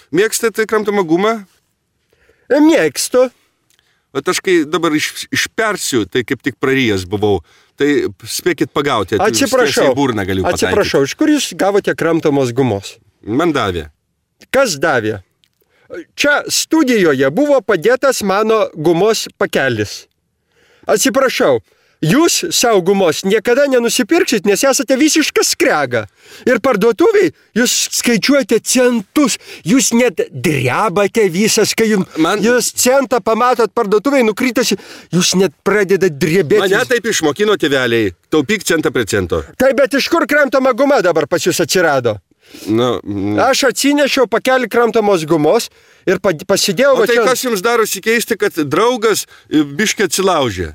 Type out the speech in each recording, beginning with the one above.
Mėgstate kramtomą gumą? Mėgstu. O aš kai dabar išpersiu, tai kaip tik prarijęs buvau. Tai spėkit pagauti. Atsiprašau. Burną galiu pataikyti. Atsiprašau, iš kur jūs gavote kramtomos gumos? Man davė. Kas davė? Čia studijoje buvo padėtas mano gumos pakelis. Atsiprašau, jūs savo gumos niekada nenusipirksit, nes esate visiškas skrega. Ir parduotuviai jūs skaičiuojate centus, jūs net drebate visas, kai jūs centą pamatot parduotuviai nukrytasi, jūs net pradedat drebėti. Mane taip išmokino tėveliai, taupyk centą prie cento. Taip, bet iš kur kramtoma guma dabar pas jūs atsirado? Aš atsinešiau pakelį kramtomos gumos ir pasidėjau... O tai kas jums darosi keisti, kad draugas biškį atsilaužė?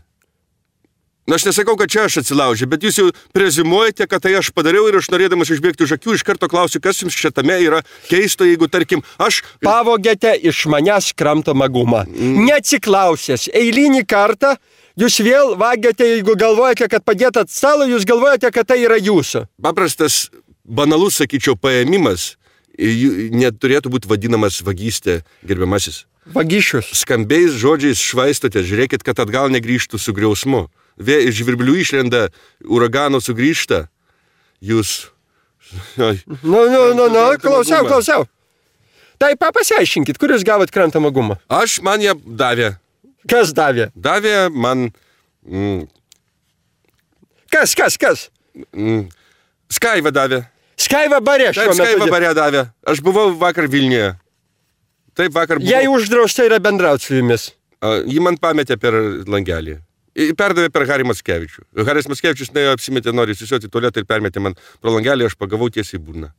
Aš nesakau, kad čia aš atsilaužė, bet jūs jau prezimuojate, kad tai aš padariau ir aš norėdamas išbėgti už akių, iš karto klausiu, kas jums šitame yra keisto, jeigu, tarkim, aš... Pavogėte iš manęs kramtomą gumą. Neatsiklausęs. Eilinį kartą jūs vėl vagiate, jeigu galvojate, kad padėt stalą, jūs galvojate, kad tai yra jūsų. Paprastas, banalus, sakyčiau, paėmimas neturėtų būti vadinamas vagystė, gerbiamasis. Vagišius. Skambiais žodžiais švaistote, žiūrėkit, kad atgal negrįžtų su griausmu. Iš žvirblių išlenda, uragano sugrįžta. Jūs... Klausiau. Tai pasiaiškinkit, kur jūs gavot kramtomą gumą? Man ją davė. Kas davė? Davė man... Kas? Skaiva davė. Skaiva bare šiuo metu. Skaiva bare davė. Aš buvau vakar Vilniuje. Taip, vakar buvau. Jei uždrausta yra bendrauti su jumis. Ji man pametė per langelį. Perdavė per Harį Mackevičių. Haris Mackevičius apsimetė, nori įsisiuoti tualetą ir permetė man pro langelį, aš pagavau tiesiai burną.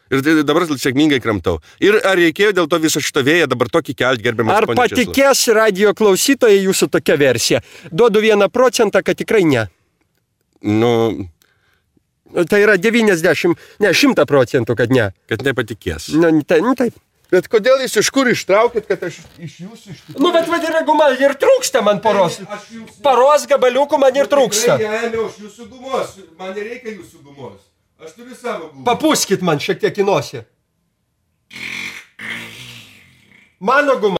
Ir dabar sėkmingai kramtau. Ir ar reikėjo dėl to viso šito vėją dabar tokį kelt, gerbiamas Ar patikės radio klausytojai jūsų tokia versija? Duodu 1%, kad tikrai ne. Tai yra 100%, kad ne. Kad nepatikės. Taip. Bet kodėl jūs iš kur ištraukėt, kad aš iš jūsų iš tikrųjų... Bet vadina guma, ir trūksta man poros. Paros gabaliukų man ir trūksta. Ėmiau iš jūsų gumos. Man nereikia jūsų gumos. Aš turiu savo gumą. Papūskit man šiek tiek į nosį. Mano guma.